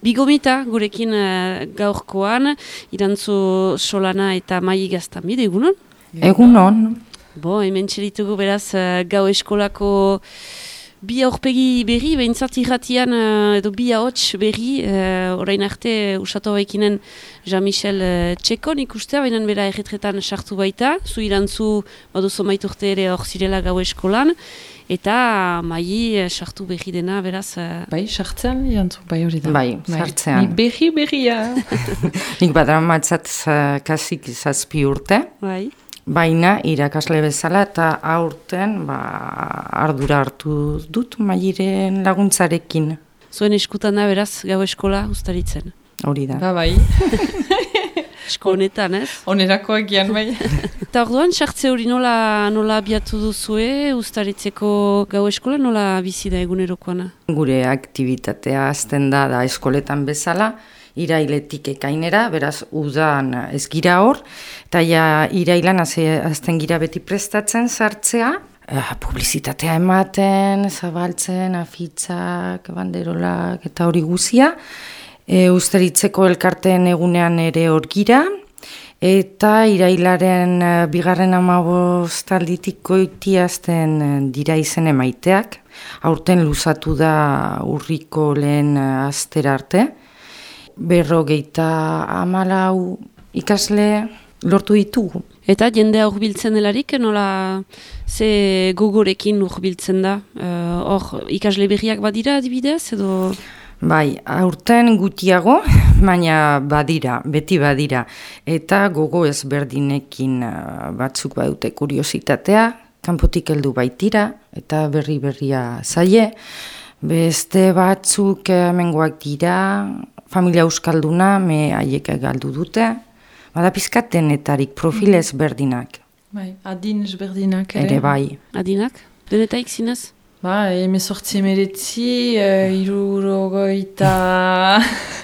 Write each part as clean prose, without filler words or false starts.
Bigomita gurekin gaurkoan, Irantzu Solana eta Mai Gaztanbide, egunon? Egunon. Hemen txeritugu beraz gau eskolako bi aurpegi berri, behintzat irratian edo bi ahots berri, orain arte usatu baikinen Jean-Michel Txekon ikustea, baina bera erretretan sartu baita, zu Irantzu baduzo maiturte ere hor zirela gau eskolan, eta Mai sartu berri dena, beraz... Bai, sartzean, Irantzu, bai hori da. Bai, sartzean. Ni berria. Nik badramatzat kasik 7 urte. Bai. Baina irakasle bezala eta aurten ardura hartu dut Mairen laguntzarekin. Zuen eskutan da beraz gau eskola ustaritzen. Hori da. Bai. Esko honetan, ez? Onerakoak gian bai. Eta orduan, sartze hori nola abiatu duzue ustaritzeko gau eskola, nola bizi da egunerokoana? Gure aktibitatea hasten da eskoletan bezala, irailetik ekainera, beraz udan ez gira hor, eta irailan azten gira beti prestatzen sartzea, publizitatea ematen, zabaltzen, afitzak, banderolak eta hori guzia, Ustaritzeko elkarteen egunean ere hor gira, eta irailaren 2. alditik goitiazten dira izen emaiteak, aurten luzatu da urriko lehen astera arte, 54 ikasle lortu ditugu. Eta jendea hurbiltzen delarik, nola ze gogorekin hurbiltzen da? Hor ikasle berriak badira adibidez edo... Bai, aurten gutiago, baina beti badira. Eta gogo ezberdinekin batzuk badute kuriositatea, kanpotik heldu baitira, eta berria zaie. Beste batzuk hemengoak dira, familia euskalduna, haiek galdu dute. Bada pizkat denetarik, profil ezberdinak. Bai, adin ezberdinak ere. Ere bai. Adinak? Denetaik zinez? Bai, 19 hirurogeita...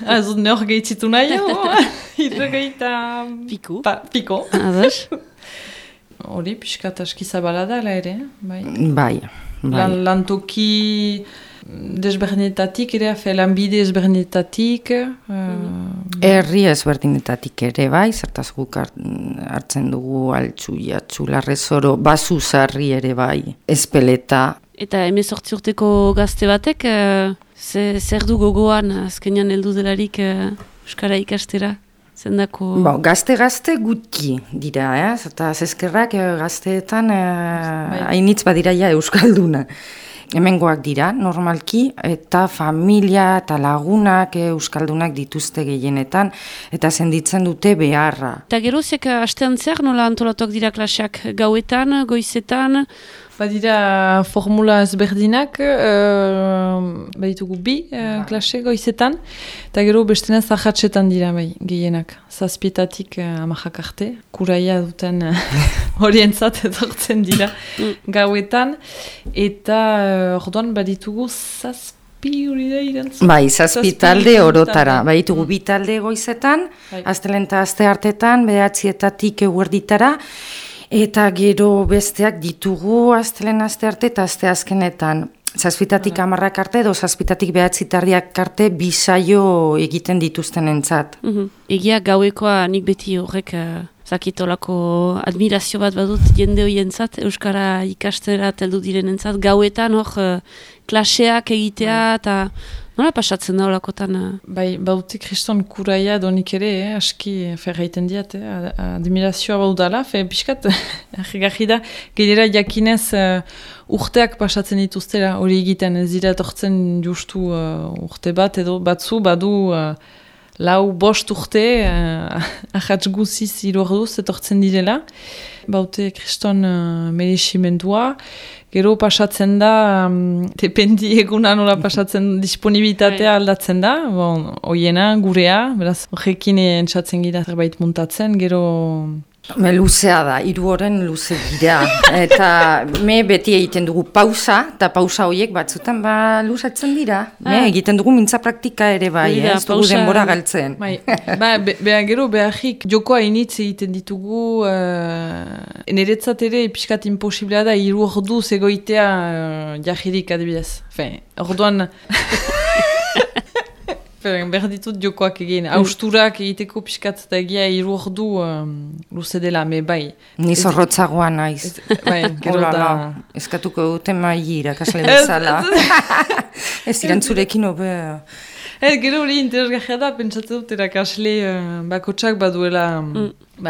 Azut nehor gehitzitu nahi, hirurogeita... Piko. Piko. Ados. Hori, pixkat aski zabala da, ere. Bai. Lantoki desberdinetatik ere, lanbide ezberdinetatik. Herri ezberdinetatik ere, bai, zertaz guk hartzen dugu Altxu, Jatxu, Larrezoro, Basuzarri ere, bai, Ezpeleta. Eta 18 urteko gazte batek, zer du gogoan azkenean heldu delarik euskara ikastera? Zendako... Gazte gutxi dira, eta zezkerrak gazteetan hainitz badira euskalduna. Hemengoak dira, normalki, eta familia eta lagunak euskaldunak dituzte gehienetan, eta senditzen dute beharra. Eta gerozek astean zer, nola antolatuak dira klaseak gauetan, goizetan? Badira formula ezberdinak, baditugu bi klase goizetan, eta gero bestena zahatsetan dira gehienak. 7 amajak arte, kuraia duten horientzat etortzen dira gauetan, eta orduan baditugu 7 hori da Irantzu. Bai, 7 talde orotara, baditugu 2 talde goizetan, astelen eta aste hartetan, 9 eguerditara, eta gero besteak ditugu astelen aste arte eta aste azkenetan. 7 10 arte edo 7 9 arte 2 saio egiten dituzten entzat. Egia gauekoa nik beti horrek zakitolako admirazio bat badut jende hoientzat, euskara ikastera teldu direnentzat, gauetan hor klaseak egitea eta nola pasatzen da holakotan? Bai, baute kriston kuraia donik ere, aski ferraiten diat, admirazioa baudala, pixkat, arregarri da, gainera jakinez urteak pasatzen dituztera, hori egiten ez dira etortzen justu urte bat, edo batzu badu 4-5 urte, ahatz guziz 3 orduz etortzen direla, baute kriston mereximendua, gero pasatzen da, dependi eguna nola pasatzen disponibilitatea aldatzen da, hoiena, gurea, beraz, horrekin entzatzen gira zerbait muntatzen, gero... Luzea da, 3 oren luze dira, eta beti egiten dugu pausa, eta pausa horiek batzutan luzatzen dira. Egiten dugu mintza praktika ere bai, ez dugu denbora galtzen. Gero beharrik jokoa initz egiten ditugu, niretzat ere pixkat imposiblea da 3 orduz egoitea jahirik adibidez. Orduan... Behar ditut jokoak egin, austurak egiteko pixkat eta egia 3 ordu luze dela, me bai. Ni zorrotzagoa naiz. Bai, gero da... Eskatuko dute maili irakasle bezala. Ez irantzurekin hobe... Gero hori interesgarria da, pentsatzen dut erakasle bakotsak baduela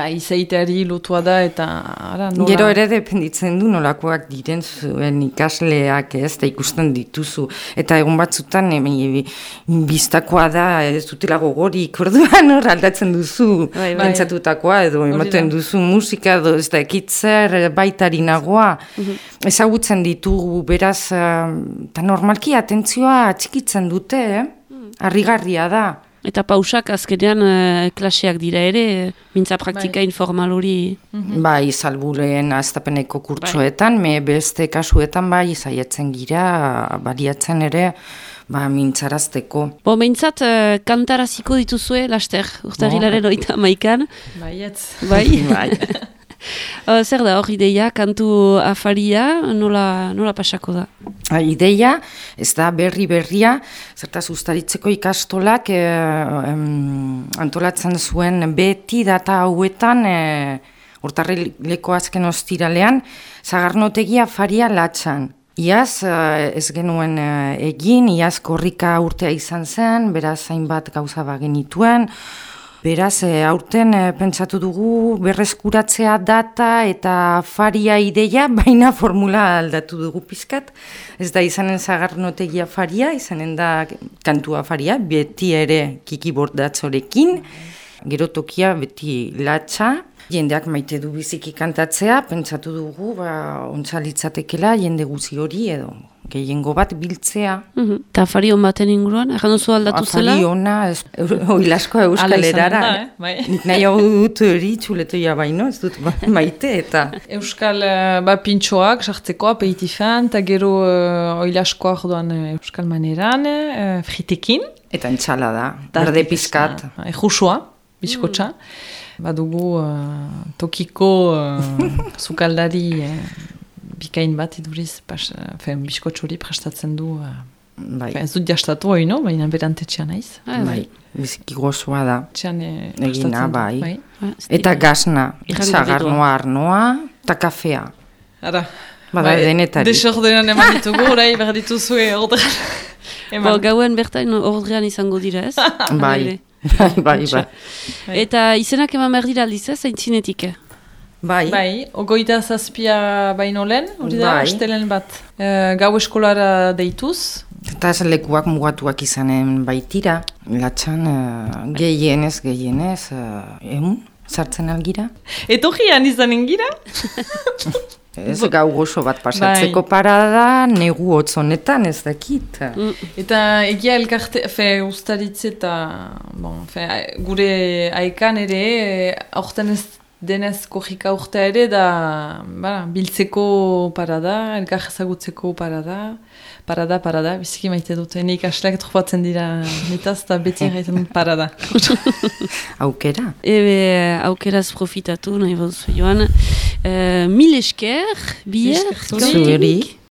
izaiteari lotua da eta nola... Gero ere dependitzen du nolakoak diren zuen ikasleak ez, da ikusten dituzu. Eta egun batzutan biztakoa da ez dutela gogorik, orduan hor aldatzen duzu pentsatutakoa edo ematen duzu musika edo ez da ekitzer baitarinagoa. Ezagutzen ditugu beraz, eta normalki atentzioa txikitzen dute, harrigarria da. Eta pausak azkenean klaseak dira ere, mintza praktika informal hori. Bai, salburen aztapeneko kurtsoetan, beste kasuetan bai, zaietzen gira, baliatzen ere, mintzarazteko. Mintzat, kantaraziko dituzue, laster, urtarrilaren 31an. Baietz. Bai? Zer da hor ideia, kantu afaria, nola pasako da? Ideia, ez da berria, zertaz ustaritzeko ikastolak antolatzen zuen beti data hauetan, urtarrileko azken ostiralean, Sagarnotegi afaria Latxan. Iaz ez genuen egin, iaz korrika urtea izan zen, beraz hainbat gauza bagenituen. Beraz, aurten pentsatu dugu berreskuratzea data eta afaria ideia, baina formula aldatu dugu pizkat. Ez da izanen Sagarnotegi afaria, izanen da kantu afaria, beti ere Kiki Bordatzorekin, gero tokia beti Latxa. Jendeak maite du biziki kantatzea, pentsatu dugu, ontzalitzatekela jende guzi hori edo. Gehiengo bat biltzea. Eta afari hon baten inguruan, erran duzu aldatu zela? Afari hona, oilasko euskal erara. Nik nahi hau dut hori txuletoia baino, ez dut maite eta... Euskal pintxoak, sartzeko aperitifan, eta gero oilaskoa jodoan euskal maneran, fritekin. Eta entxalada, berde pizkat. Jusua, bizkotxa. Badugu tokiko zukaldari... Bikain bat iduriz, biskotxori prestatzen du, ez dut jastatu hori, no? Baina berantetxean naiz. Bai, biziki gozoa da. Egina, bai. Eta gazna, Sagarnoa, arnoa, eta kafea. Ara. Bada denetari. Desordenan eman ditugu, orai behar dituzue ordrean. Gauen bertain ordrean izango dira, ez? Bai. Eta izenak eman behar dira aldiz, ez? Aintzinetik. Bai, ogoita zazpia baino lehen, hori da, astelen bat. Gau eskolara deituz. Eta ez lekuak mugatuak izanen baitira. Latxan gehienez, sartzen algira. Etogian izanen gira? Ez gau gozo bat pasatzeko parada, negu hotzonetan ez dakit. Eta egia elkarte, ustaritze eta gure aikan ere, aurten ez denez kojika urtea ere da biltzeko parada, elkar ezagutzeko parada, biziki maite dute. Nik asleak tropatzen dira mitaz eta beti egiten dut parada. Aukera? Aukeraz profitatu, nahi baduzu joan. Mil esker, bier, zuerik.